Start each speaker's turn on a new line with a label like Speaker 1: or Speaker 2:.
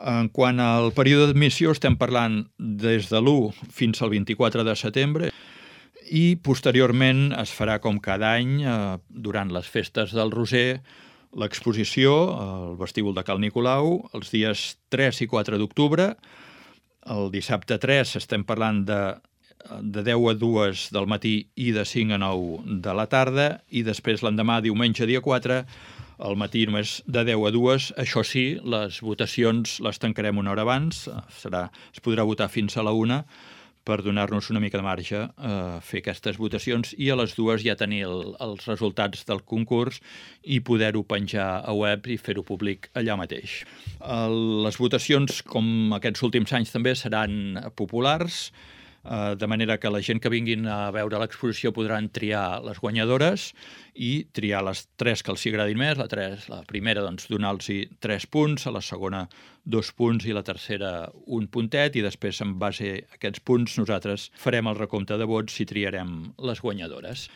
Speaker 1: En quant al període d'admissió, estem parlant des de l'1 fins al 24 de setembre i posteriorment es farà com cada any, durant les festes del Roser, l'exposició al vestíbul de Cal Nicolau els dies 3 i 4 d'octubre. El dissabte 3 estem parlant de 10 a 2 del matí i de 5 a 9 de la tarda, i després l'endemà, diumenge dia 4, al matí només de 10 a 2. Això sí, les votacions les tancarem una hora abans, es podrà votar fins a la 1 per donar-nos una mica de marge a fer aquestes votacions i a les 2 ja tenir els resultats del concurs i poder-ho penjar a web i fer-ho públic allà mateix. Les votacions, com aquests últims anys també, seran populars, de manera que la gent que vinguin a veure l'exposició podran triar les guanyadores i triar les 3 que els agradin més. La primera, doncs, donar-los 3 punts, a la segona 2 punts i la tercera 1 puntet, i després, en base a aquests punts, nosaltres farem el recompte de vots i triarem les guanyadores.